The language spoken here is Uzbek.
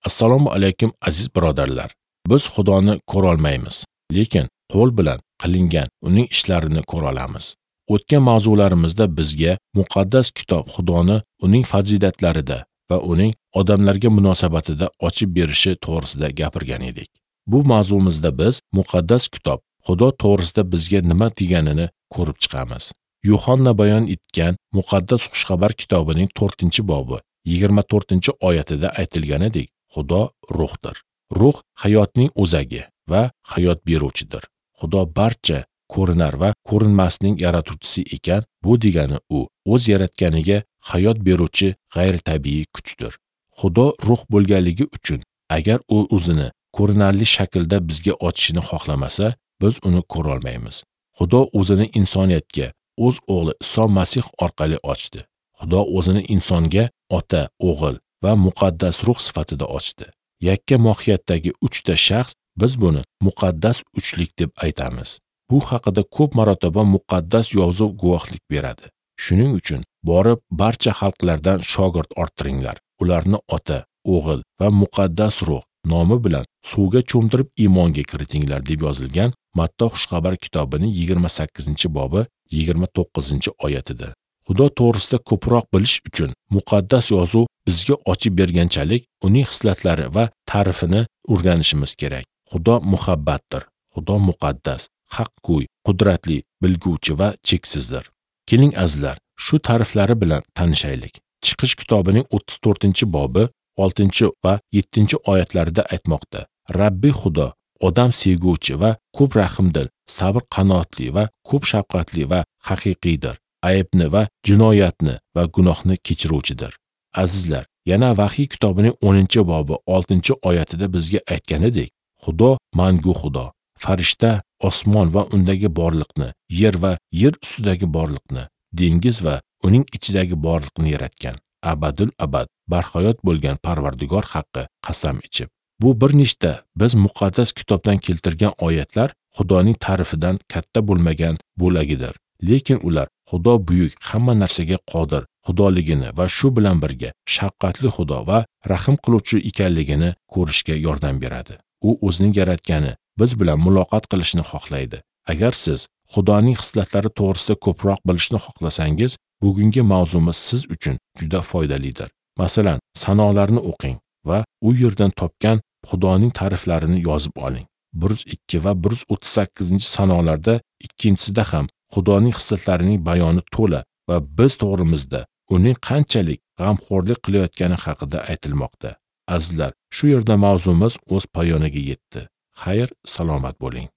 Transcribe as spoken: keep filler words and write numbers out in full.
Assalomu alaykum aziz birodarlar. Biz Xudoni ko'ra olmaymiz, lekin qo'l bilan qilingan uning ishlarini ko'ra olamiz. O'tgan mavzularimizda bizga muqaddas kitob Xudoni uning fazilatlarida va uning odamlarga munosabatida ochib berishi to'g'risida gapirgan edik. Bu mavzumizda biz muqaddas kitob Xudo to'g'risida bizga nima deganini ko'rib chiqamiz. Yuhanna bayon etgan Muqaddas Xushxabar kitobining to'rtinchi bobi yigirma to'rtinchi oyatida aytilganidek, Xudo ruhdir. Ruh hayotning o'zagi va hayot beruvchidir. Xudo barcha ko'rinar va ko'rinmasning yaratuvchisi ekan, bu degani u o'z yaratganiga hayot beruvchi g'ayritabiiy kuchdir. Xudo ruh bo'lganligi uchun agar u o'zini ko'rinarli shaklda bizga ochishini xohlamasa, biz uni ko'ra olmaymiz. Xudo o'zini insoniyatga o'z o'g'li Iso Masih orqali ochdi. Xudo o'zini insonga ota, o'g'il va muqaddas ruh sifatida ochdi. Yakka mohiyatdagi uchta shaxs, biz buni muqaddas uchlik deb aytamiz. Bu haqida ko'p marotaba muqaddas yozuv guvohlik beradi. Shuning uchun borib barcha xalqlardan shogird orttiringlar. Ularni ota, o'g'il va muqaddas ruh nomi bilan suvga cho'mdirib iymonga kiritinglar deb yozilgan Matto Xushxabar kitobining yigirma sakkizinchi bobi yigirma to'qqizinchi oyatida. Xudo to'g'risida ko'proq bilish uchun muqaddas yozuv bizga ochib berganchalik uning xislatlari va ta'rifini o'rganishimiz kerak. Xudo muhabbatdir. Xudo muqaddas, haqgo'y, qudratli, bilguvchi va cheksizdir. Keling azizlar, shu ta'riflari bilan tanishaylik. Chiqish kitobining o'ttiz to'rtinchi bobi oltinchi va yettinchi oyatlarida aytmoqda. Rabbi Xudo odam sevguvchi va ko'p rahimdil, sabr qanoatli va ko'p shafqatli va haqiqiydir. Aybni va jinoyatni va gunohni kechiruvchidir. Azizlar, yana Vahiy kitobining o'ninchi bobi oltinchi oyatida bizga aytganidek, Xudo mangu Xudo, farishta osmon va undagi borliqni, yer va yer ustidagi borliqni, dengiz va uning ichidagi borliqni yaratgan, abadul abad barhayot bo'lgan Parvardigor haqqi qasam ichib. Bu bir nechta biz muqaddas kitobdan keltirgan oyatlar Xudoning ta'rifidan katta bo'lmagan bo'lagidir. Lekin ular Xudo buyuk, hamma narsaga qodir Xudoligini va shu bilan birga shafqatli Xudo va rahim qiluvchi ekanligini ko'rishga yordam beradi. U o'zining yaratgani biz bilan muloqot qilishni xohlaydi. Agar siz Xudoning xislatlari to'g'risida ko'proq bilishni xohlasangiz, bugungi mavzumiz siz uchun juda foydalidir. Masalan, sanolarni o'qing va u yerdan topgan Xudoning ta'riflarini yozib oling. bir yuz ikki va bir yuz o'ttiz sakkizinchi sanolarda ikkinchisida ham Xudoning xislatlarining bayoni to'la va biz to'g'rimizda uning qanchalik g'amxo'rlik qilayotgani haqida aytilmoqda. Azizlar, shu yerda mavzumiz o'z poyoniga yetdi. Xayr, salomat bo'ling.